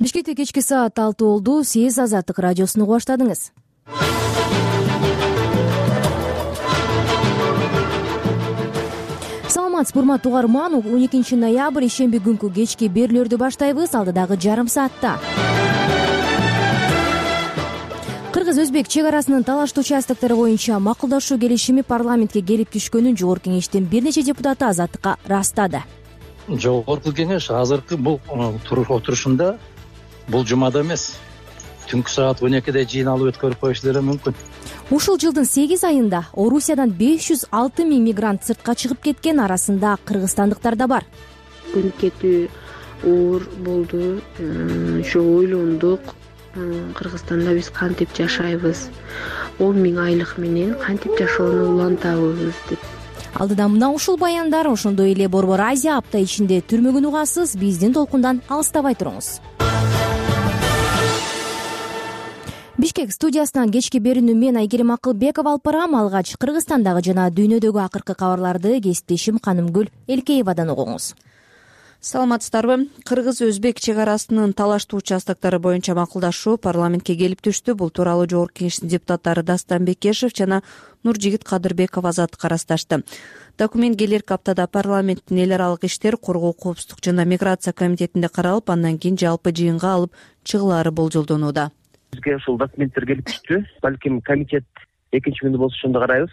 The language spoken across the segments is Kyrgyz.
Бишкекте кечки саат 6 болду. Сиз Азаттык радиосун угуп баштадыңыз. Саламатсызбы, урматтуу угарман. 12 ноябрь ишемби күнкү кечки берүүлөрдү баштайбыз. Алдыдагы жарым саатта Кыргыз-Өзбек чек арасынын талаштуу участоктори боюнча макулдашуу келишими парламентке келип түшкөнүн жогорку кеңештин бир нече депутаты Азаттыкка ырастады. Жогорку кеңеш азыркы бул отурушунда бул жумада эмес, түнкү саат 12де жыйналып өткөрүп коюшу деле мүмкүн. Ушул жылдын 8 айында Орусиядан 506 000 мигрант сыртка чыгып кеткен, арасында кыргызстандыктар да бар. Көнүп кетүү оор болду. Ошо ойлондук, Кыргызстанда биз кантип жашайбыз, 10 000 айлык менен кантип жашоону улантабыз деп. Алдыда мына ушул баяндар, ошондой эле Борбор Азия апта ичинде түрмөгүн угасыз. Биздин толкундан алыстабай туруңуз. Бишкек студиясынан кечки берүүнү мен Айгерим Акылбекова алып барам. Алгач Кыргызстандагы жана дүйнөдөгү акыркы кабарларды кесиптешим Канымгүл Элкеевадан угуңуз. Саламатсыздарбы? Кыргыз-Өзбек чек арасынын талаштуу участоктору боюнча макулдашуу парламентке келип түштү. Бул тууралуу жогорку кеңештин депутаттары Дастан Бекешев жана Нуржигит Кадырбеков Азаттыкка ырасташты. Документ келерки аптада парламенттин эл аралык иштер, коргоо, коопсуздук жана миграция комитетинде каралып, андан кийин жалпы жыйынга алып чыгылаары болжолдонууда. Бизге ушул документтер келип түштү. Балким комитет экинчи күндү болсо ошондо карайбыз,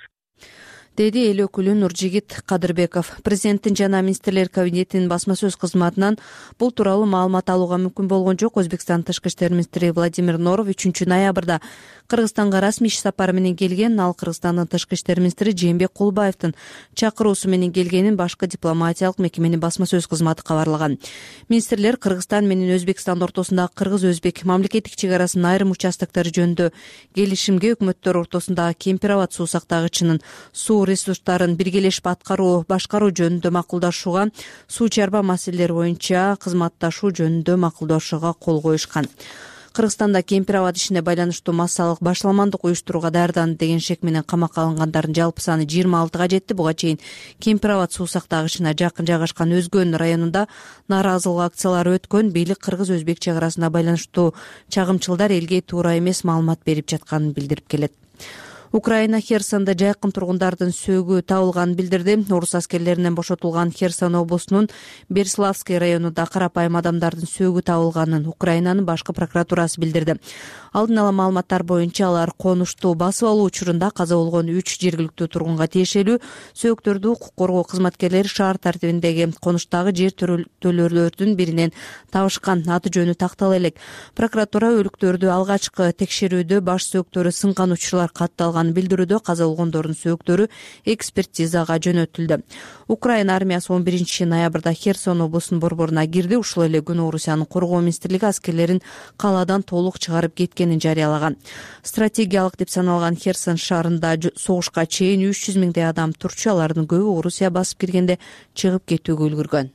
деди эл өкүлү Нуржигит Кадырбеков. Президенттин жана министрлер кабинетинин басма сөз кызматынан бул тууралуу маалымат алууга мүмкүн болгон жок. Өзбекстан тышкы иштер министри Владимир Норов 3 ноябрда Кыргызстанга расмий иш сапары менен келген. Ал Кыргызстандын тышкы иштер министри Жээнбек Кулбаевдин чакыруусу менен келгенин башкы дипломатиялык мекеменин басма сөз кызматы кабарлаган. Министрлер Кыргызстан менен Өзбекстан ортосундагы Кыргыз-Өзбек мамлекеттик чек арасынын айрым участоктору жөнүндө келишимге, өкмөттөр ортосундагы Кемпир-Абад суу сактагычынын суу ресурстарын биргелешип башкаруу жөнүндө макулдашууга, суу чарба маселелери боюнча кызматташуу жөнүндө макулдашууга кол коюшкан. Кыргызстанда Кемпир-Абад ишине байланыштуу массалык башаламандык уюштурууга даярданды деген шек менен камакка алынгандардын жалпы саны 26-га жетти. Буга чейин Кемпир-Абад суу сактагычына жакын жайгашкан Өзгөн районунда нааразылык акциялары өткөн. Бийлик Кыргыз-Өзбек чек арасына байланыштуу чагымчылдар элге туура эмес маалымат берип жатканын билдирип келет. Украина Херсонда жайкын тургундардын сөөгү табылганын билдирди. Орус аскерлеринен бошотулган Херсон облусунун Берславский районунда карапайым адамдардын сөөгү табылганын Украинанын башкы прокуратурасы билдирди. Алдын ала маалыматтар боюнча алар конушту басып алуу учурунда каза болгон 3 жергиликтүү тургунга тиешелүү. Сөөктөрдү укук коргоо кызматкерлери шаар тартибиндеги конуштагы жер төлөөлөрдүн биринен табышкан. Аты жөнү тактала элек. Прокуратура өлүктөрдү алгачкы текшерүүдө баш сөөктөрү сынган учурлар катталганын билдирүүдө. Каза болгондордун сөөктөрү экспертизага жөнөтүлдү. Украина армиясы 11 ноябрда Херсон облусунун борборуна кирди. Ушул эле күнү Орусиянын коргоо министрлиги аскерлерин калаадан толук чыгарып кеткенин жарыялаган. Стратегиялык деп саналган Херсон шаарында согушка чейин 300 000 адам турчу. Алардын көбү Орусия басып киргенде чыгып кетүүгө үлгүргөн.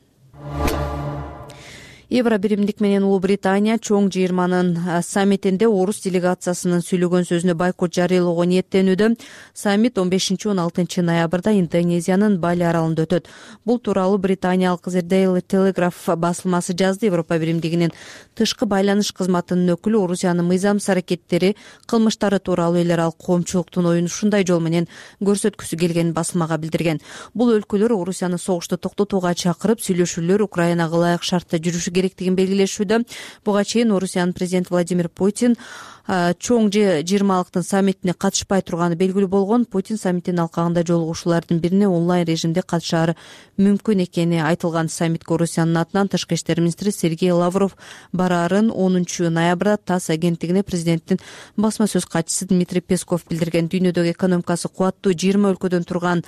Евро биримдик менен Улуу Британия чоң жыйырманын саммитинде орус делегациясынын сүйлөгөн сөзүнө бойкот жарыялоого ниеттенүүдө. Саммит 15-16 ноябрда Индонезиянын Бали аралында өтөт. Бул тууралуу британиялык The Daily Telegraph басылмасы жазды. Европа биримдигинин тышкы байланыш кызматынын өкүлү Орусиянын мыйзамсыз аракеттери, кылмыштары тууралуу эл аралык коомчулуктун оюн ушундай жол менен көрсөткүсү келгенин басылмага билдирген. Бул өлкөлөр Орусияны согушту токтотууга чакырып, сүйлөшүүлөр Украинага ылайык шартта жүрүшү керектигин белгилешүүдө. Буга чейин Орусиянын президенти Владимир Путин чоң жыйырмалыктын саммитине катышпай турганы белгилүү болгон. Путин саммиттин алкагында жолугушуулардын бирине онлайн режимде катышаары мүмкүн экени айтылган. Саммитке Орусиянын атынан тышкы иштер министри Сергей Лавров бараарын 10 ноябрда ТАСС агенттигине президенттин басма сөз катчысы Дмитрий Песков билдирген. Дүйнөдөгү экономикасы кубаттуу 20 өлкөдөн турган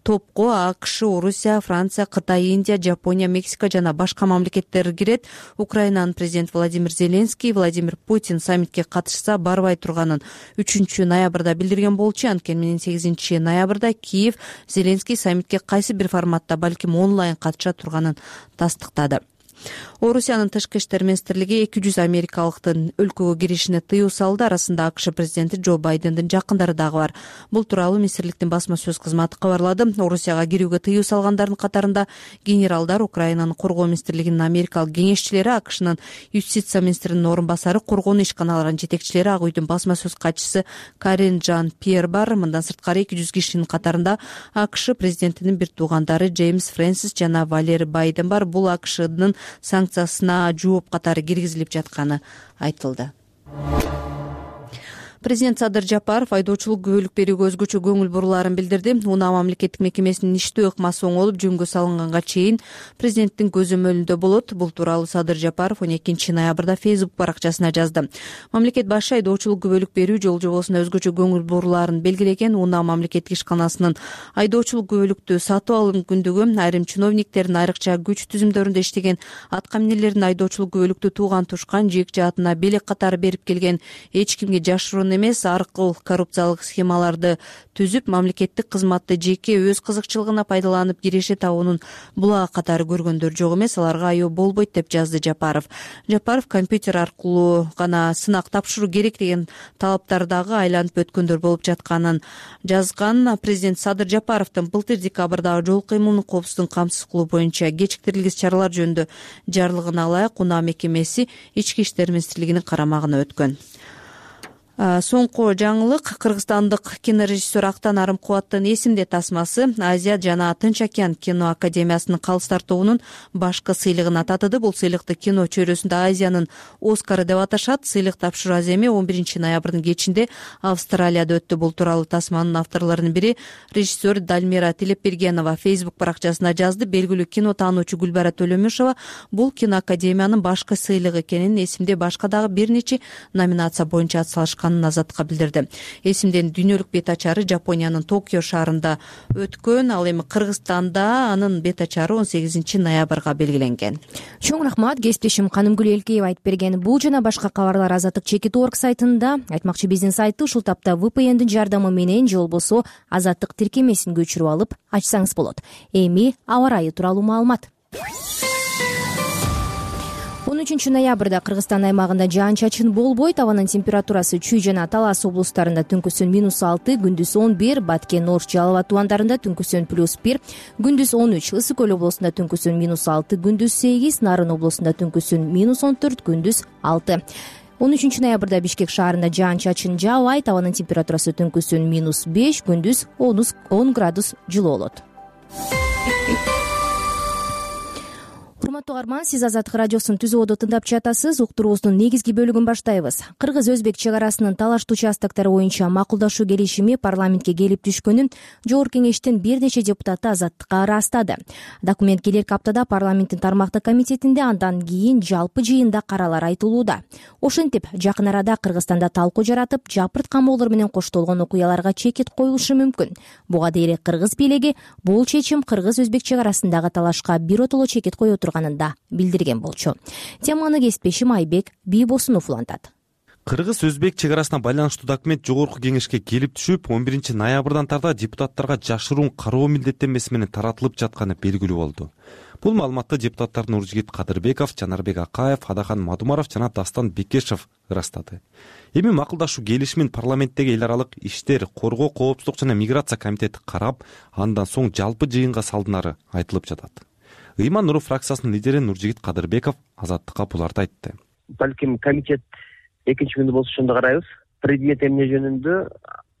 топко АКШ, Орусия, Франция, Кытай, Индия, Жапония, Мексика жана башка мамлекеттер кирет. Украинанын президенти Владимир Зеленский Владимир Путин саммитке катышса барбай турганын 3 ноябрда билдирген болчу. Анткени менен 8 ноябрда Киев Зеленский саммитке кайсы бир форматта, балким онлайн катыша турганын тастыктады. Орусиянын тышкы иштер министрлиги 200 америкалыктын өлкөгө киришине тыюу салды. Арасында АКШ президенти Джо Байдендин жакындары дагы бар. Бул тууралуу министрликтин басма сөз кызматы кабарлады. Орусияга кирүүгө тыюу салгандардын катарында генералдар, Украинанын коргоо министрлигинин америкалык кеңешчилери, АКШнын юстиция министринин орун басары, коргонуу ишканаларынын жетекчилери, Ак үйдүн басма сөз катчысы Карин Жан-Пьер бар. Мындан сырткары 200 кишинин катарында АКШ президентинин бир туугандары Джеймс Фрэнсис жана Валери Байден бар. Бул АКШнын санкциясына жооп катары киргизилип жатканы айтылды. Президент Садыр Жапаров айдоочулук күбөлүк берүүгө өзгөчө көңүл бурулаарын билдирди. УНА мамлекеттик мекемесинин иштөө ыкмасы оңолуп жөнгө салынганга чейин президенттин көзөмөлүндө болот. Бул тууралуу Садыр Жапаров 12 ноябрда Facebook баракчасына жазды. Мамлекет башы айдоочулук күбөлүк берүү жол жобосуна өзгөчө көңүл бурулаарын белгилеген. УНА мамлекеттик ишканасынын айдоочулук күбөлүктү сатып алуу мүмкүндүгү, айрым чиновниктердин, айрыкча күч түзүмдөрүндө иштеген аткаминерлердин айдоочулук күбөлүктү тууган тушкан, жеек жаатына белек катары берип келген, эч кимге жашыруун эмес аркыл коррупциялык схемаларды түзүп, мамлекеттик кызматты жеке өз кызыкчылыгына пайдаланып киреше табуунун булагы катары көргөндөр жок эмес, аларга айоо болбойт деп жазды Жапаров. Жапаров компьютер аркылуу гана сынак тапшыруу керек деген талаптардагы айланып өткөндөр болуп жатканын жазган. Президент Садыр Жапаровдун былтыр декабрдагы жол кыймылын коопсуздугун камсыз кылуу боюнча кечиктирилгис чаралар жөнүндө жарлыгына ылайык УНА мекемеси Ички иштер министрлигинин карамагына өткөн. Соңку жаңылык: кыргызстандык кинорежиссер Актан Арымкубаттын «Эсимде» тасмасы Азия жана Тынч океан кино академиясынын калыстар тобунун башкы сыйлыгына татыды. Бул сыйлыкты кино чөйрөсүндө Азиянын Оскары деп аташат. Сыйлык тапшыруу аземи 11 ноябрдын кечинде Австралияда өттү. Бул тууралуу тасманын авторлорунун бири режиссер Дальмира Тилепбергенова Facebook баракчасына жазды. Белгилүү кино таануучу Гүлбара Төлөмүшова бул кино академиянын башкы сыйлыгы экенин, «Эсимде» башка дагы бир нече номинация боюнча атсалышкан азаттыкка билдирди. «Эсимден» дүйнөлүк бет ачары Жапониянын Токио шаарында өткөн. Ал эми Кыргызстанда анын бет ачары 18 ноябрга белгиленген. Чоң рахмат. Кесиптешим Канымгүл Элкеева айтып берген бул жана башка кабарлар Азаттык.org сайтында. Айтмакчы, биздин сайтты ушул тапта VPN-дин жардамы менен же болбосо Азаттык тиркемесин көчүрүп алып ачсаңыз болот. Эми аба ырайы тууралуу маалымат. 13 ноябрда Кыргызстан аймагында жаан-чачын болбойт. Абанын температурасы Чүй жана Талас облустарында түнкүсүн -6, күндүз 11, Баткен, Ош, Жалал абад тубандарында түнкүсүн +1, күндүз 13, Ысык көл облусунда түнкүсүн -6, күндүз 8, Нарын облусунда түнкүсүн -14, күндүз 6. 13 ноябрда Бишкек шаарында жаан-чачын жаабайт. Абанын температурасы түнкүсүн -5, күндүз 10 градус жылуу болот. Урматтуу угарман, сиз Азаттык радиосунун түзүүбүдө тыңдап жатасыз. Уктуруубуздун негизги бөлүгүн баштайбыз. Кыргыз-Өзбек чек арасынын талаштуу участоктору боюнча макулдашуу келишими парламентке келип түшкөнүн Жогорку кеңештин бир нече депутаты Азаттыкка ырастады. Документ келерки аптада парламенттин тармактык комитетинде, андан кийин жалпы жыйында каралары айтылууда. Ошентип, жакын арада Кыргызстанда талкуу жаратып, жапырт камоолор менен коштолгон окуяларга чекит коюлушу мүмкүн. Буга дейре кыргыз бийлиги бул чечим Кыргыз-Өзбек чек арасындагы талашка биротоло чекит кое турганында билдирген болчу. Теманы кесиптешим Айбек Бийбосунов улантат. Кыргыз-Өзбек чек арасына байланыштуу документ Жогорку кеңешке келип түшүп, 11 ноябрдан тарта депутаттарга жашыруун кароо милдеттенмеси менен таратылып жатканы белгилүү болду. Бул маалыматты депутаттар Нуржигит Кадырбеков, Жанарбек Акаев, Адахан Мадумаров жана Дастан Бекешев ырастады. Эми макулдашуу келишимин парламенттеги эл аралык иштер, коргоо, коопсуздук жана миграция комитети карап, андан соң жалпы жыйынга салдынары айтылып жатат. Ыйман Нуров фракциясынын лидери Нуржигит Кадырбеков Азаттыкка буларды айтты. Балким комитет экинчи күндү болсо ошондо карайбыз. Предмет эмне жөнүндө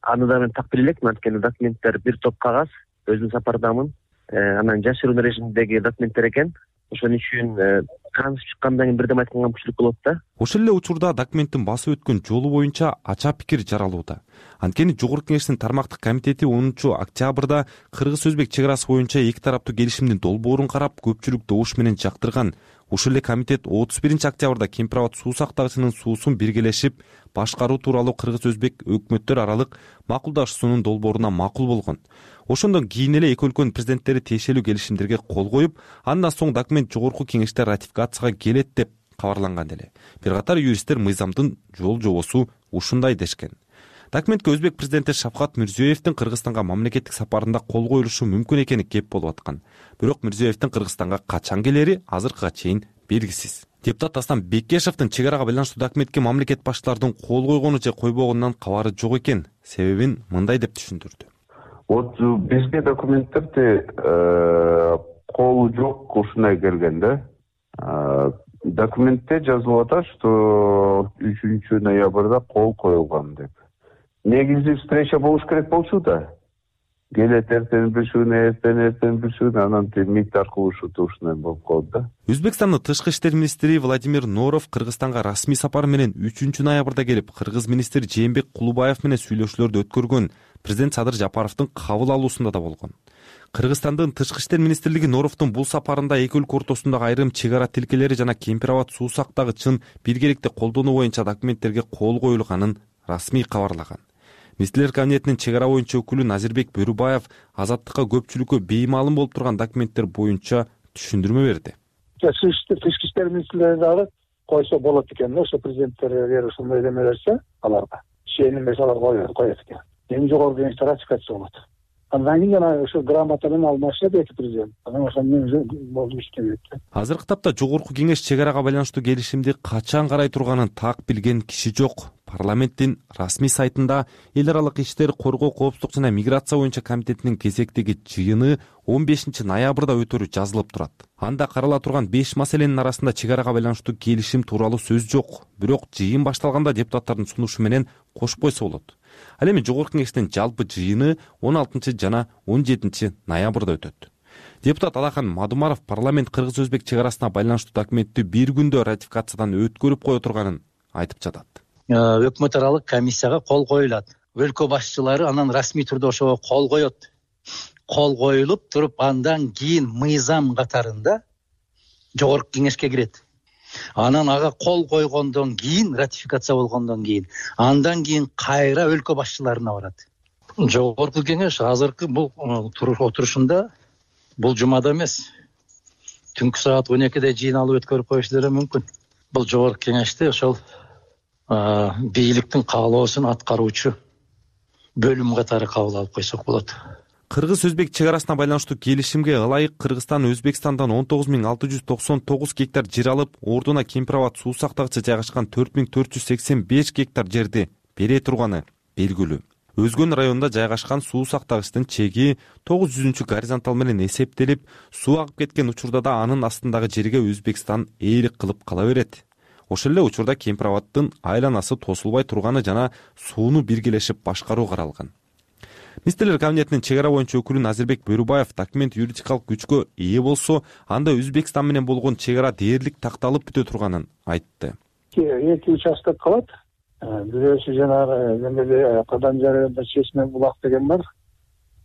аны да мен тактыр элекмин, анткени документтер бир топ кагаз, өзүм сапардамын. Анан жашыруун режимдеги документтер экен. Ошон үчүн кансып чыккандан кийин бирдем айтканга мүмкүнчүлүк болот да. Ошол эле учурда документтин басып өткөн жолу боюнча ача пикир жаралууда. Анткени Жогорку кеңештин тармактык комитети 10 октябрда Кыргыз-Өзбек чек арасы боюнча эки тараптуу келишимдин долбоорун карап, көпчүлүк добуш менен жактырган. Ошол эле комитет 31 октябрда Кемпир абад суу сактагычынын суусун биргелешип башкаруу тууралуу Кыргыз-Өзбек өкмөттөр аралык макулдашуусунун долбооруна макул болгон. Ошондон кийин эле эки өлкөнүн президенттери тиешелүү келишимдерге кол коюп, андан соң документ Жогорку кеңеште ратификацияга келет деп кабарланган эле. Бир катар юристтер мыйзамдын жол жобосу ушундай дешкен. Документке Өзбек президенти Шавкат Мирзиёевдин Кыргызстанга мамлекеттик сапарында кол коюлушу мүмкүн экени кеп болуп аткан. Бирок Мирзиёевдин Кыргызстанга качан келери азыркыга чейин белгисиз. Депутат Астан Бекешевдин чек арага байланыштуу документке мамлекет башчыларынын кол койгону же койбогонунан кабары жок экен. Себебин мындай деп түшүндүрдү. Вот бизге документтерди колу жок ушундай келген да. Документте жазылып атат, что 3 ноябрда кол коюлган деп. Негизи встреча болуш керек болчу да. Келет эртең бир күн, анан мит аркылуу ушундай болуп калды да. Өзбекстандын тышкы иштер министри Владимир Норов Кыргызстанга расмий сапар менен 3 ноябрда келип, кыргыз министри Жээнбек Кулубаев менен сүйлөшүүлөрдү өткөргөн. Президент Садыр Жапаровдун кабыл алуусунда да болгон. Кыргызстандын тышкы иштер министрлиги Норовдун бул сапарында эки өлкө ортосундагы айрым чек ара тилкелери жана Кемпир Абад суусактагы чын биргеликти колдонуу боюнча документтерге кол коюлганын расмий кабарлаган. Министрлер кабинетинин чек ара боюнча өкүлү Назирбек Бөрүбаев азаттыкка көпчүлүккө беймаалым болуп турган документтер боюнча түшүндүрмө берди. Тышкы иштер министрлери дагы койсо болот экен, ошо президенттер эгер ушундай эме берсе, аларга шенин берсе алар коет экен. Эң жогорку кеңеште ратификация болот. Андан кийин жана ошо грамота менен алмашат эки президент. Анан ошондон болду иштебейт. Азыркы тапта жогорку кеңеш чек арага байланыштуу келишимди качан карай турганын так билген киши жок. Парламенттин расмий сайтында эл аралык иштер, коргоо, коопсуздук жана миграция боюнча комитетинин кезектеги жыйыны 15 ноябрда өтөрү жазылып турат. Анда карала турган 5 маселенин арасында чек арага байланыштуу келишим тууралуу сөз жок. Бирок жыйын башталганда депутаттардын сунушу менен кошуп койсо болот. Ал эми жогорку кеңештин жалпы жыйыны 16 жана 17 ноябрда өтөт. Депутат Алахан Мадумаров парламент кыргыз-өзбек чек арасына байланыштуу документти бир күндө ратификациядан өткөрүп кое турганын айтып жатат. Өкмөт аралык комиссияга кол коюлат. Өлкө башчылары анан расмий түрдө ошого кол коет. Кол коюлуп туруп, андан кийин мыйзам катарында жогорку кеңешке кирет. Анан ага кол койгондон кийин, ратификация болгондон кийин, андан кийин кайра өлкө башчыларына барат. Жогорку кеңеш азыркы бул отурушунда бул жумада эмес, түнкү саат 12де жыйналып өткөрүп коюшулары мүмкүн. Бул жогорку кеңеште ошол бийликтин каалоосун аткаруучу бөлүм катары кабыл алып койсок болот. Кыргыз-өзбек чек арасына байланыштуу келишимге ылайык Кыргызстан Өзбекстандан 19.699 гектар жер алып, ордуна Кемпир Абад суусактагыча жайгашкан 4.485 гектар жерди бере турганы белгилүү. Өзгөн районунда жайгашкан суусактагычтын чеги 900 горизонтал менен эсептелип, суу агып кеткен учурда да анын астындагы жерге Өзбекстан ээлик кылып кала берет. Ошол эле учурда Кемпир Абадтын айланасы тосулбай турганы жана сууну биргелешип башкаруу каралган. Министрлер кабинетинин чек ара боюнча өкүлү Назирбек Бөрүбаев документ юридикалык күчкө ээ болсо, анда Өзбекстан менен болгон чек ара дээрлик такталып бүтө турганын айтты. Эки участок калат. Бирөөсү жанагы эмеде Кадан жарыгында Чечме булак деген бар.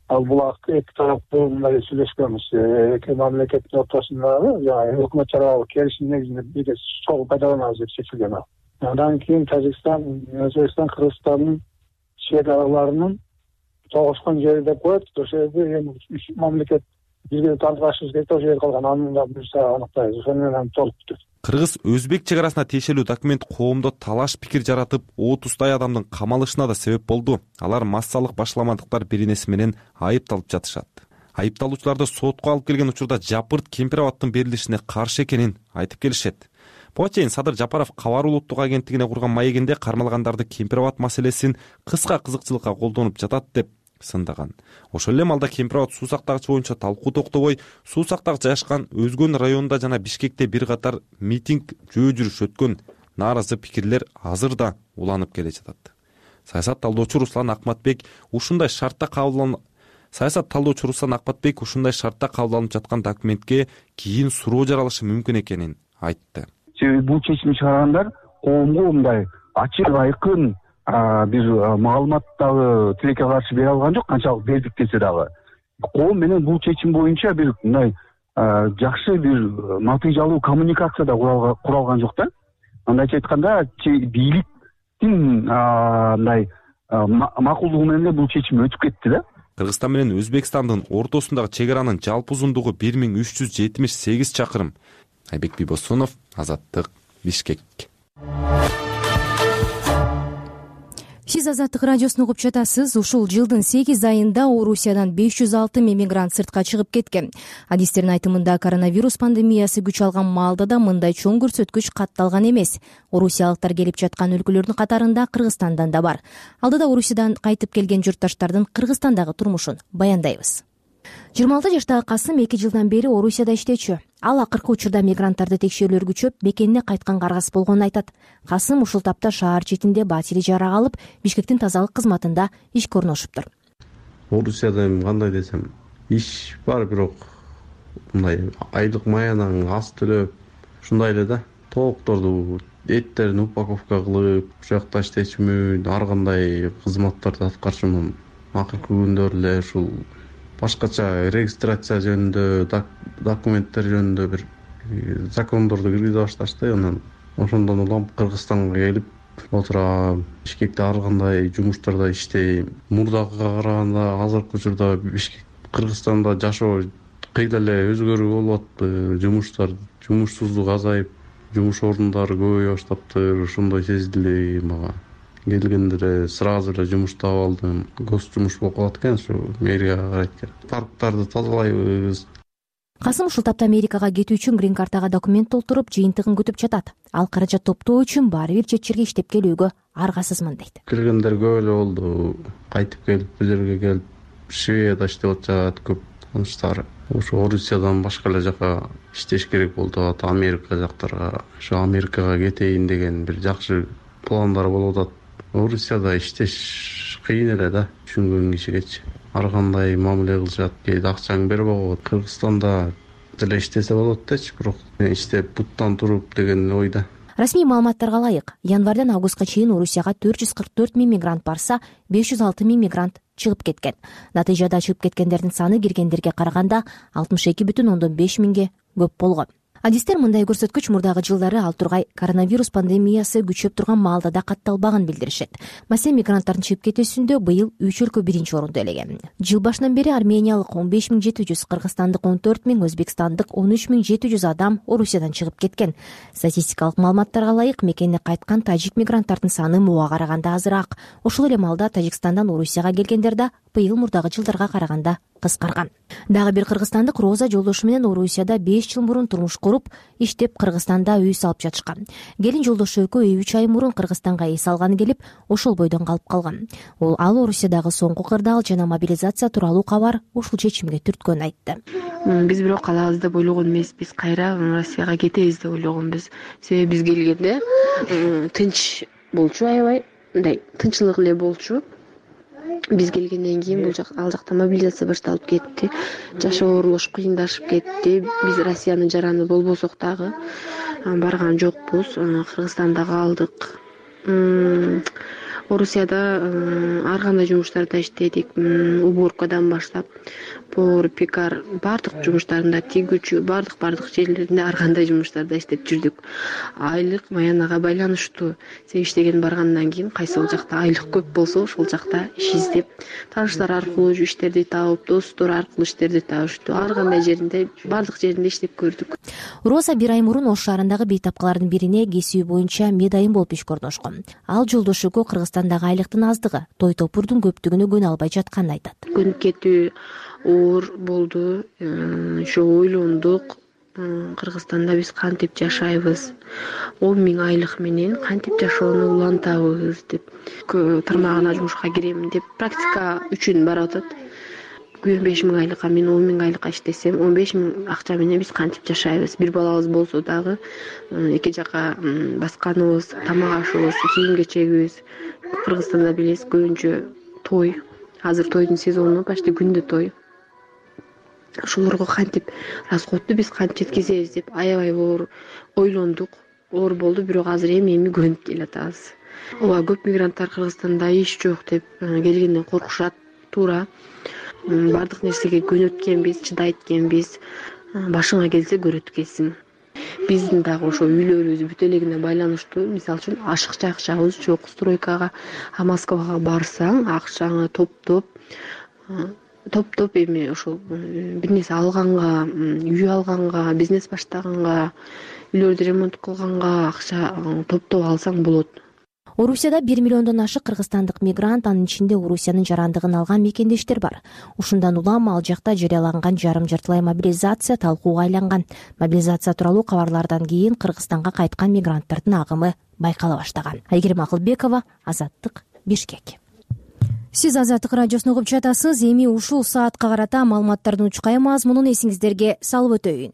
Ал булак эки тараптуу мындай сүйлөшкөнбүз. Эки мамлекеттин ортосундагы өкмөт аралык келишим негизинде бирге суу пайдаланабыз деп чечилген ал. Андан кийин Тажикстан, Өзбекстан, Кыргызстандын чек араларынын тогушкан жери деп коет. Ошол жерде эми үч мамлекет бирге тартышыбыз керек, ошол жер калган. Аны да биз аныктайбыз. Ошону менен толук бүтөт. Кыргыз-өзбек чек арасына тиешелүү документ коомдо талаш пикир жаратып, 30 адамдын камалышына да себеп болду. Алар массалык башламандыктар беренеси менен айыпталып жатышат. Айыпталуучуларды сотко алып келген учурда Жапырт Кемпир Абадтын берилишине каршы экенин айтып келишет. Буга чейин Садыр Жапаров Кабар улуттук агенттигине курган маегинде кармалгандарды Кемпир Абад маселесин кыска кызыкчылыкка колдонуп жатат деп сындаган. Ошол эле малда Кемпир Абад суусактагыч боюнча талкуу токтобой, суусактагыч жайгашкан Өзгөн районунда жана Бишкекте бир катар митинг, жөө жүрүш өткөн. Нааразы пикирлер азыр да уланып келе жатат. Саясат талдоочу Руслан Акматбек ушундай шартта кабыл алынып жаткан документке кийин суроо жаралышы мүмкүн экенин айтты. Бул чечим чыгаргандар коомго мындай ачык айкын бир маалымат дагы тилекке каршы бере алган жок, канчалык бердик десе дагы. Коом менен бул чечим боюнча бир мындай жакшы бир натыйжалуу коммуникация да куралган жок да. Андайча айтканда, бийликтин мындай макулдугу менен бул чечим өтүп кетти да. Кыргызстан менен Өзбекстандын ортосундагы чек аранын жалпы узундугу 1378 чакырым. Айбек Бибосунов, Азаттык, Бишкек. Сиз Азаттык радиосун угуп жатасыз. Ушул жылдын 8 айында Орусиядан 506 мигрант сыртка чыгып кеткен. Адистердин айтымында коронавирус пандемиясы күч алган маалда да мындай чоң көрсөткүч катталган эмес. Орусиялыктар келип жаткан өлкөлөрдүн катарында Кыргызстандан да бар. Алдыда Орусиядан кайтып келген журтташтардын Кыргызстандагы турмушун баяндайбыз. 26 жаштагы Касым 2 жылдан бери Орусияда иштечү. Ал акыркы учурда мигранттарды текшерүүлөр күчөп, мекенине кайтканга аргасыз болгонун айтат. Касым ушул тапта шаар четинде батири жарак алып, Бишкектин тазалык кызматында ишке орношуптур. Орусияда кандай десем, иш бар, бирок мындай айлык маянан аз төлөп, ушундай эле да. Тоокторду, эттерин упаковка кылып, ушул жакта иштечүмүн, ар кандай кызматтарды аткарчумун. Акыркы күндөр эле ушул башкача регистрация жөнүндө, документтер жөнүндө бир закондорду киргизе башташты. Анан ошондон улам Кыргызстанга келип отурам. Бишкекте ар кандай жумуштарда иштейм. Мурдагыга караганда азыркы учурда Кыргызстанда жашоо кыйла эле өзгөрүү болуп атты. Жумушсуздук азайып, жумуш орундары көбөйө баштаптыр. Ошондой сезилди мага. Келгенде эле сразу эле жумуш таап алдым. Гос жумуш болуп калат экен, ушу мэрияга карайт экен. Парктарды тазалайбыз. Касым ушул тапта Америкага кетүү үчүн грин картага документ толтуруп, жыйынтыгын күтүп жатат. Ал каражат топтоо үчүн баары бир жетчерге иштеп келүүгө аргасызмын дейт. Келгендер көп эле болду. Кайтып келип, бул жерге келип, Шведияда иштеп атышат көп таныштар. Ошо Орусиядан башка эле жака иштеш керек болуп атат, Америка жактарга. Ошо Америкага кетейин деген бир жакшы пландар болуп атат. Орусияда иштеш кыйын эле да, түшүнгөн кишигечи. Ар кандай мамиле кылышат, кээде акчаңды берип коет. Кыргызстанда деле иштесе болот дечи, бирок иштеп буттан туруп деген ойда. Расмий маалыматтарга ылайык, январдан августка чейин Орусияга 444 000 мигрант барса, 506 000 мигрант чыгып кеткен. Натыйжада чыгып кеткендердин саны киргендерге караганда 62,5 миңге көп болгон. Адистер мындай көрсөткүч мурдагы жылдары ал тургай коронавирус пандемиясы күчөп турган маалда да катталбаганын билдиришет. Маселен, мигранттардын чыгып кетүүсүндө быйыл 3 өлкө биринчи орунду ээлеген. Жыл башынан бери армениялык 15,700, кыргызстандык 14 000, өзбекстандык 13,700 адам Орусиядан чыгып кеткен. Статистикалык маалыматтарга ылайык, мекенине кайткан тажик мигранттардын саны муга караганда азыраак. Ошол эле маалда Тажикстандан Орусияга келгендер да быйыл мурдагы жылдарга караганда кыскарган. Дагы бир кыргызстандык Роза жолдошу менен Орусияда 5 жыл мурун турмуш куруп, иштеп Кыргызстанда үй салып жатышкан. Келин жолдошу экөө 3 ай мурун Кыргызстанга эс алганы келип, ошол бойдон калып калган. Ал Орусиядагы соңку кырдаал жана мобилизация тууралуу кабар ушул чечимге түрткөнүн айтты. Биз бирок калабыз деп ойлогон эмеспиз, кайра Россияга кетебиз деп ойлогонбуз. Себеби биз келгенде тынч болчу, аябай мындай тынччылык эле болчу. Биз келгенден кийин ал жакта мобилизация башталып кетти. Жашоо орулуш кыйындашып кетти. Биз Россиянын жараны болбосок дагы барган жокпуз. Кыргызстанда калдык. Орусияда ар кандай жумуштарда иштедик. Уборкадан баштап, повар, пекар, бардык жумуштарында, тигүүчү, бардык жерлеринде ар кандай жумуштарда иштеп жүрдүк. Айлык маянага байланыштуу. Сен иштеген баргандан кийин кайсыл жакта айлык көп болсо, ошол жакта иш издеп, тааныштар аркылуу иштерди таап, достор аркылуу иштерди табыштуу. Ар кандай жеринде, бардык жеринде иштеп көрдүк. Роза 1 ай мурун Ош шаарындагы бейтапкалардын бирине кесиби боюнча медайым болуп ишке орношкон. Ал жолдошу экөө Кыргызстандагы айлыктын аздыгы, той топурдун көптүгүнө көнө албай жатканын айтат. Көнүп кетүү оор болду. Ошо ойлондук, Кыргызстанда биз кантип жашайбыз, 10 000 айлык менен кантип жашоону улантабыз деп, тармагына жумушка кирем деп практика үчүн барып атат. 5 000 айлыкка мен 10 000 айлыкка иштесем, 15 000 акча менен биз кантип жашайбыз? Бир балабыз болсо дагы эки жака басканыбыз, тамак ашыбыз, кийим кечегибиз. Кыргызстанда билесиз, көбүнчө той. Азыр тойдун сезону, почти күндө той. Ошолорго кантип расходду биз кантип жеткизебиз деп аябай оор ойлондук. Оор болду, бирок азыр эми көнүп келатабыз. Ооба, көп мигранттар Кыргызстанда иш жок деп келгенден коркушат, туура. Бардык нерсеге көнөт экенбиз, чыдайт экенбиз. Башыңа келсе көрөт экенсиң. Биздин дагы ошо үйлөрүбүз бүт элегине байланыштуу. Мисалы үчүн ашыкча акчабыз жок. Стройкага, Москвага барсаң, акчаңы топтоп эми ошол бир нерсе алганга, үй алганга, бизнес баштаганга, үйлөрдү ремонт кылганга акча топтоп алсаң болот. Орусияда 1 миллиондон ашык кыргызстандык мигрант, анын ичинде Орусиянын жарандыгын алган мекендештер бар. Ушундан улам ал жакта жарыяланган жарым-жартылай мобилизация талкууга айланган. Мобилизация тууралуу кабарлардан кийин Кыргызстанга кайткан мигранттардын агымы байкала баштаган. Айгерим Акылбекова, Азаттык, Бишкек. Сиз Азаттык радиосун угуп жатасыз. Эми ушул саатка карата маалыматтардын учкай мазмунун эсиңиздерге салып өтөйүн.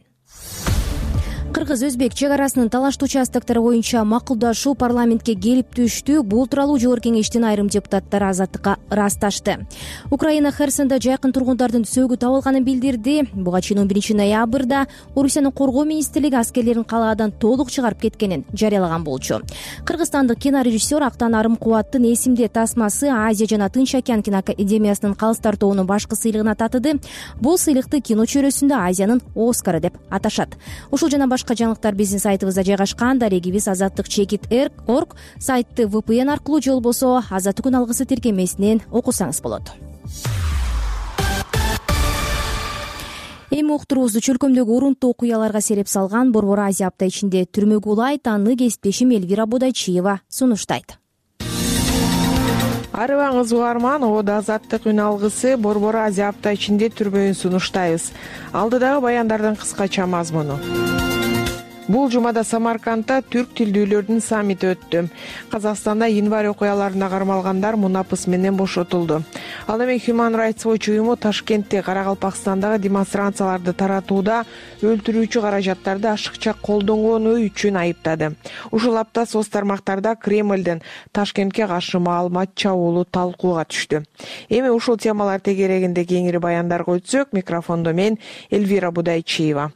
Кыргыз-өзбек чек арасынын талаштуу участоктору боюнча макулдашуу парламентке келип түштү. Бул тууралуу Жогорку Кеңештин айрым депутаттары Азаттыкка ырасташты. Украина Херсондо жайкын тургундардын сөөгү табылганын билдирди. Буга чейин 11 ноябрда Орусиянын коргоо министрлиги аскерлерин калаадан толук чыгарып кеткенин жарыялаган болчу. Кыргызстандык кинорежиссер Актан Арымкубаттын эсимде тасмасы Азия жана Тынч океан киноакадемиясынын калыстар тобунун башкы сыйлыгына татыды. Бул сыйлыкты кино чөйрөсүндө Азиянын Оскары деп аташат. Ушул жана башка жаңылыктар биздин сайтыбызда жайгашкан. Дарегибиз azattik.org сайтты VPN аркылуу же болбосо Азаттыктын алгысы тиркемесинен окусаңыз болот. Эми уктуруубузду чөлкөмдөгү урунттуу окуяларга сереп салган Борбор Азия апта ичинде түрмөгө улайт, аны кесиптешим Элвира Будайчиева сунуштайт. Арыбаңыз угарман, ода Азаттык үн алгысы Борбор Азия апта ичинде түрмөгүн сунуштайбыз. Алдыдагы баяндардын кыскача мазмуну. Бул жумада Самаркандда түрк тилдүүлөрдүн саммити өттү. Казакстанда январь окуяларына кармалгандар мунапыс менен бошотулду. Ал эми Human Rights Watch уюму Ташкентте Карагалпакстандагы демонстрацияларды таратууда өлтүрүүчү каражаттарды ашыкча колдонгону үчүн айыптады. Ушул апта соц тармактарда Кремлден Ташкентке каршы маалымат чабуулу талкууга түштү. Эми ушул темалар тегерегинде кеңири баяндарга өтсөк, микрофондо мен Элвира Будайчиева.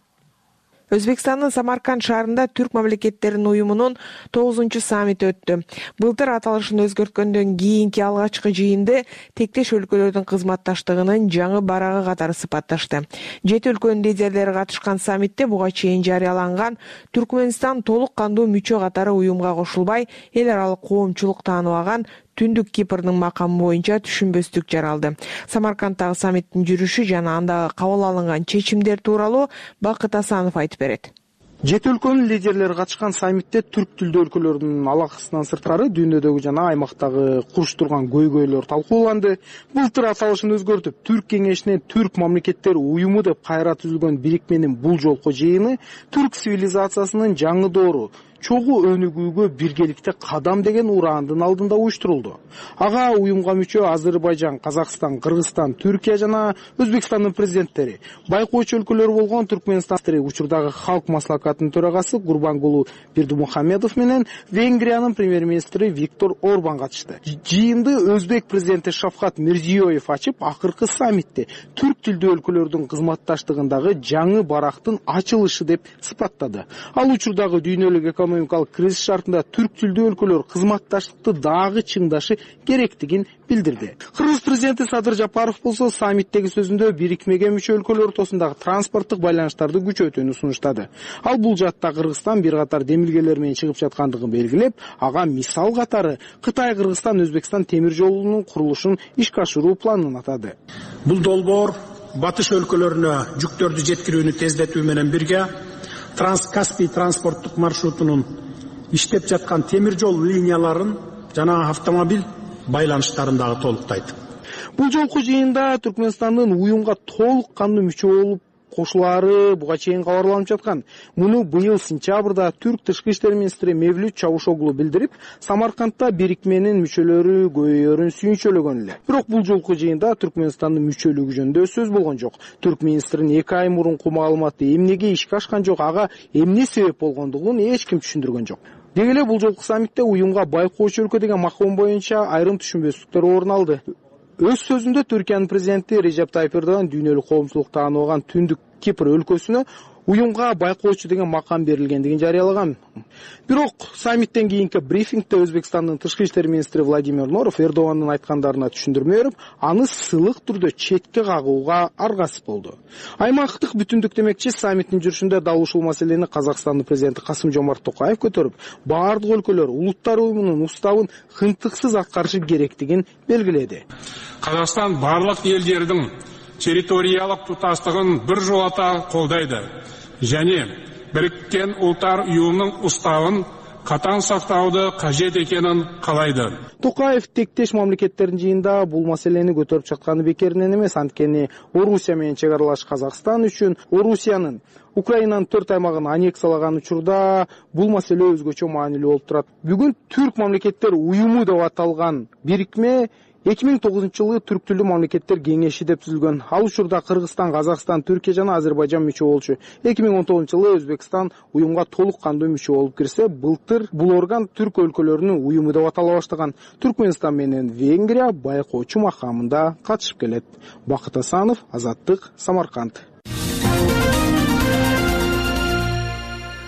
Өзбекстандын Самарканд шаарында түрк мамлекеттеринин уюмунун 9-чу саммити өттү. Былтыр аталышын өзгөрткөндөн кийинки алгачкы жыйынды тектеш өлкөлөрдүн кызматташтыгынын жаңы барагы катары сыпатташты. 7 өлкөнүн лидерлери катышкан саммитте буга чейин жарыяланган Түркмөнстан толук кандуу мүчө катары уюмга кошулбай, эл аралык коомчулук тааныбаган Түндүк Кипрдин макамы боюнча түшүнбөстүк жаралды. Самарканддагы саммиттин жүрүшү жана андагы кабыл алынган чечимдер тууралуу Бакыт Асанов айтып берет. 7 өлкөнүн лидерлери катышкан саммитте түрк тилдүү өлкөлөрдүн алакысынан сырткары дүйнөдөгү жана аймактагы куруштурган көйгөйлөр талкууланды. Былтыр аталышын өзгөртүп, Түрк кеңешинен Түрк мамлекеттери уюму деп кайра түзүлгөн бирикменин бул жолку жыйыны түрк цивилизациясынын жаңы доору чогуу өнүгүүгө биргеликте кадам деген ураандын алдында уюштурулду. Ага уюмга мүчө Азербайжан, Казакстан, Кыргызстан, Түркия жана Өзбекстандын президенттери, байкоочу өлкөлөр болгон Түркмөнстан учурдагы халк маслакатынын төрагасы Курбангулу Бердимухамедов менен Венгриянын премьер-министри Виктор Орбан катышты. Жыйынды Өзбек президенти Шавкат Мирзиёев ачып, акыркы саммитте түрк тилдүү өлкөлөрдүн кызматташтыгындагы жаңы барактын ачылышы деп сыпаттады. Ал учурдагы дүйнөлүк экономикалык кризис шартында түрк тилдүү өлкөлөр кызматташтыкты дагы чыңдашы керектигин билдирди. Кыргыз президенти Садыр Жапаров болсо саммиттеги сөзүндө бирикмеге мүчө өлкөлөр ортосундагы транспорттук байланыштарды күчөтүүнү сунуштады. Ал бул жаатта Кыргызстан бир катар демилгелер менен чыгып жаткандыгын белгилеп, ага мисал катары Кытай, Кыргызстан, Өзбекстан темир жолунун курулушун ишке ашыруу планын атады. Бул долбоор батыш өлкөлөрүнө жүктөрдү жеткирүүнү тездетүү менен бирге Транскаспий транспорттук маршрутунун иштеп жаткан темир жол линияларын жана автомобиль байланыштарын дагы толуктайт. Бул жолку жыйында Түркмөнстандын уюмга толук кандуу мүчө болуп кошулаары буга чейин кабарланып жаткан. Муну быйыл сентябрда түрк тышкы иштер министри Мевлют Чавушоглу билдирип, Самаркандда бирикменин мүчөлөрү көбөйөрүн сүйүнчөлөгөн эле. Бирок бул жолку жыйында Түркмөнстандын мүчөлүгү жөнүндө сөз болгон жок. Түрк министринин 2 ай мурунку маалыматы эмнеге ишке ашкан жок, ага эмне себеп болгондугун эч ким түшүндүргөн жок. Деги эле бул жолку саммитте уюмга байкоочу өлкө деген маком боюнча айрым түшүнбөстүктөр орун алды. Өз сөзүндө Түркиянын президенти Режеп Тайып Эрдоган дүйнөлүк коомчулук тааныбаган Түндүк Кипр өлкөсүнө уюмга байкоочу деген макам берилгендигин жарыялаган. Бирок саммиттен кийинки брифингде Өзбекстандын тышкы иштер министри Владимир Норов Эрдогандын айткандарына түшүндүрмө берип, аны сылык түрдө четке кагууга аргасыз болду. Аймактык бүтүндүк демекчи саммиттин жүрүшүндө дал ушул маселени Казакстандын президенти Касым-Жомарт Токаев көтөрүп, бардык өлкөлөр улуттар уюмунун уставын хынтыксыз аткарышы керектигин белгиледи. Казакстан барлык элдердин территориялык туташтыгын бир жолата колдойду және Біріккен ұлттар ұйымының уставын катаң сактауды кажет экенин каалайды. Токаев тектеш мамлекеттердин жыйынында бул маселени көтөрүп чыкканы бекеринен эмес, анткени Орусия менен чек аралаш Казакстан үчүн Орусиянын Украинанын 4 аймагын аннексиялаган учурда бул маселе өзгөчө маанилүү болуп турат. Бүгүн Түрк мамлекеттер уюму деп аталган бирикме 2009-жылы Түрк тилдүү мамлекеттер кеңеши деп түзүлгөн. Ал учурда Кыргызстан, Казакстан, Түркия жана Азербайжан мүчө болчу. 2019-жылы Өзбекстан уюмга толук кандуу мүчө болуп кирсе, былтыр бул орган Түрк өлкөлөрүнүн уюму деп атала баштаган. Түркмөнстан менен Венгрия байкоочу макамында катышып келет. Бакыт Асанов, Азаттык, Самарканд.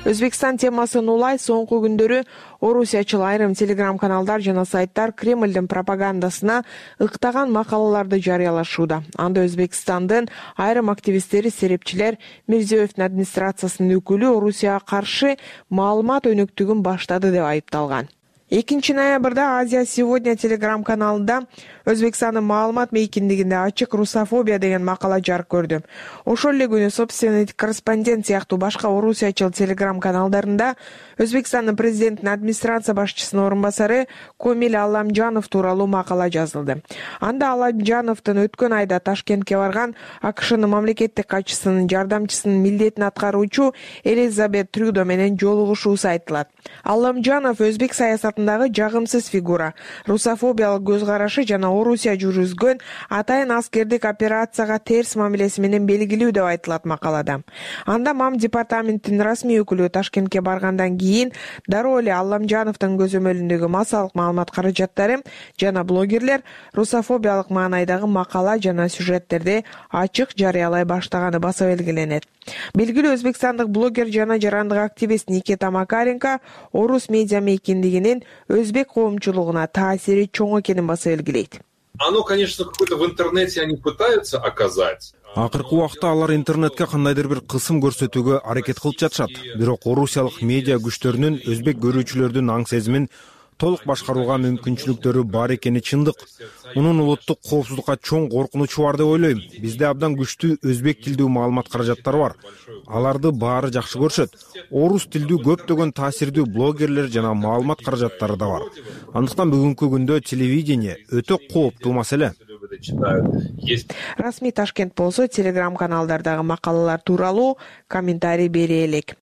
Өзбекстан темасын улай соңку күндөрү орусиячыл айрым телеграм-каналдар жана сайттар Кремлдин пропагандасына ыктаган макалаларды жарыялашууда. Анда Өзбекстандын айрым активисттери, серепчилер Мирзиёевдин администрациясынын өкүлү Орусияга каршы маалымат өнөктүгүн баштады деп айыпталган. 2 ноябрда Азия сегодня телеграм-каналында Өзбекстандын маалымат мейкиндигинде ачык русофобия деген макала жарык көрдү. Ошол эле күнү собственный корреспондент сыяктуу башка орусиячыл телеграм-каналдарында Өзбекстандын президентинин администрация башчысынын орун басары Комил Алламжанов тууралуу макала жазылды. Анда Алламжановдун өткөн айда Ташкентке барган АКШнын мамлекеттик катчысынын жардамчысынын милдетин аткаруучу Элизабет Трюдо менен жолугушуусу айтылат. Алламжанов өзбек саясатындагы жагымсыз фигура, русофобиялык көз карашы жана Орусия жүргүзгөн атайын аскердик операцияга терс мамилеси менен белгилүү деп айтылат макалада. Анда МАМ департаментинин расмий өкүлү Ташкентке баргандан кийин дароо эле Алламжановдун көзөмөлүндөгү массалык маалымат каражаттары жана блогерлер русофобиялык маанайдагы макала жана сюжеттерди ачык жарыялай баштаганы баса белгиленет. Белгилүү өзбекстандык блогер жана жарандык активист Никита Макаренко орус медиа мейкиндигинин өзбек коомчулугуна таасири чоң экенин баса белгилейт. Оно, конечно, какое-то в интернете они пытаются оказать. Акыркы убакта алар интернетке кандайдыр бир кысым көрсөтүүгө аракет кылып жатышат. Бирок орусиялык медиа күчтөрүнүн өзбек көрүүчүлөрдүн аң сезимин толук башкарууга мүмкүнчүлүктөрү бар экени чындык. Мунун улуттук коопсуздукка чоң коркунучу бар деп ойлойм. Бизде абдан күчтүү өзбек тилдүү маалымат каражаттары бар. Аларды баары жакшы көрүшөт. Орус тилдүү көптөгөн таасирдүү блогерлер жана маалымат каражаттары да бар. Андыктан бүгүнкү күндө телевидение өтө кооптуу маселе. Расмий Ташкент болсо телеграм-каналдардагы макалалар тууралуу комментарий бере элек.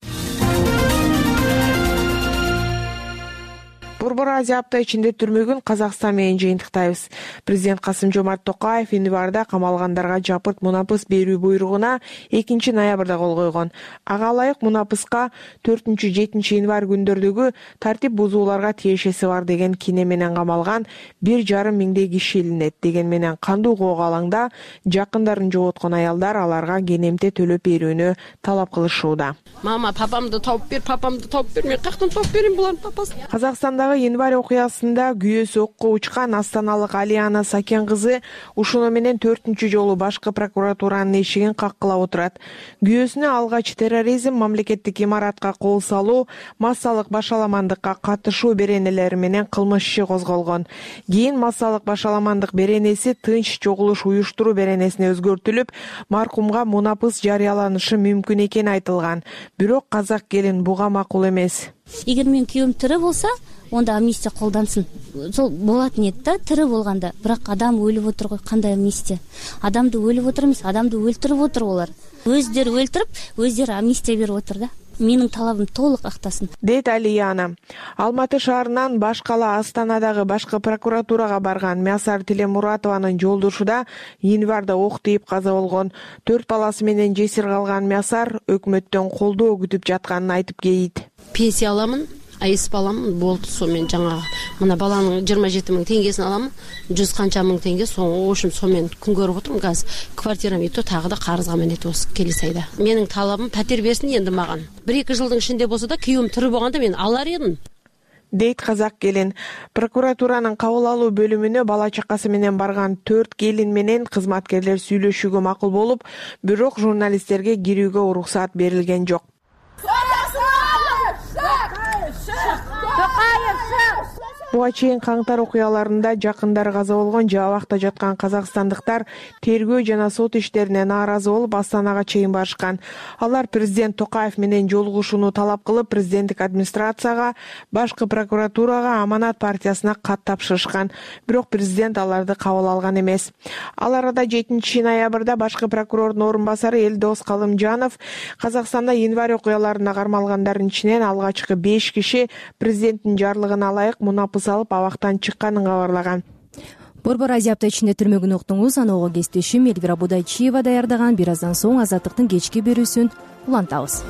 Борбор Азия апта ичинде түрмөгүн Казакстан менен жыйынтыктайбыз. Президент Касым-Жомарт Токаев январда камалгандарга жапырт мунапыс берүү буйругуна 2 ноябрда кол койгон. Ага ылайык мунапыска 4-7 январь күндөрдөгү тартип бузууларга тиешеси бар деген кине менен камалган 1,5 миңдей киши илинет. Деген менен кандуу коого алаңда жакындарын жоготкон аялдар аларга кенемте төлөп берүүнү талап кылышууда. Мама, папамды тауып бер, мен каяктан тауып берейин булардын папасын? Казакстандагы январь окуясында күйөөсү окко учкан астаналык Алиана Сакен кызы ушуну менен 4-чү жолу башкы прокуратуранын эшигин каккылап отурат. Күйөөсүнө алгач терроризм, мамлекеттик имаратка кол салуу, массалык башаламандыкка катышуу беренелери менен кылмыш иши козголгон. Кийин массалык башаламандык беренеси тынч чогулуш уюштуруу беренесине өзгөртүлүп, маркумга мунапыс жарыяланышы мүмкүн экени айтылган. Бирок казак келин буга макул эмес. Эгер менин күйөөм тирүү болсо, онда амнистия колдансын. Сол болатын эди да, тирүү болгондо. Бирок адам өлүп отур го, кандай амнистия? Адамды өлүп отур эмес, адамды өлтүрүп отур олар. Өздөрү өлтүрүп, өздөрү амнистия берип отур да. Менин талабым толук актасын, дейт Алияна. Алматы шаарынан баш кала Астанадагы башкы прокуратурага барган Мясар Тилемуратованын жолдошуда январда ок тийип каза болгон. 4 баласы менен жесир калган Мясар өкмөттөн колдоо күтүп жатканын айтып кейит. Пенсия аламын, айыс баламын, болду. Сомен жаңа мына баланын 27 000 теңгесин аламын, 100 канча мың теңге, ошум сомен күн көрүп отурмун. Газ квартирам ито тагы да карызга менет осы келесі айда. Менин талабым пәтер берсин енді маған. 1-2 жылдың ішінде болса да күйөөм тирүү болгондо мен алар едим, дейт казак келин. Прокуратуранын кабыл алуу бөлүмүнө бала чакасы менен барган 4 келин менен кызматкерлер сүйлөшүүгө макул болуп, бирок журналисттерге кирүүгө уруксат берилген жок. буга чейин каңтар окуяларында жакындары каза болгон же абакта жаткан казакстандыктар тергөө жана сот иштерине нааразы болуп Астанага чейин барышкан. Алар президент Токаев менен жолугушууну талап кылып, президенттик администрацияга, башкы прокуратурага, Аманат партиясына кат тапшырышкан. Бирок президент аларды кабыл алган эмес. Ал арада 7 ноябрда башкы прокурордун орун басары Элдос Калымжанов Казакстанда январь окуяларына кармалгандардын ичинен алгачкы 5 киши президенттин жарлыгына ылайык мунапы салып абактан чыкканын кабарлаган. Борбор Азия апта ичинде түрмөгүн уктуңуз. Аного кесиптешим Эльвира Будайчиева даярдаган. Бир аздан соң Азаттыктын кечки берүүсүн улантабыз.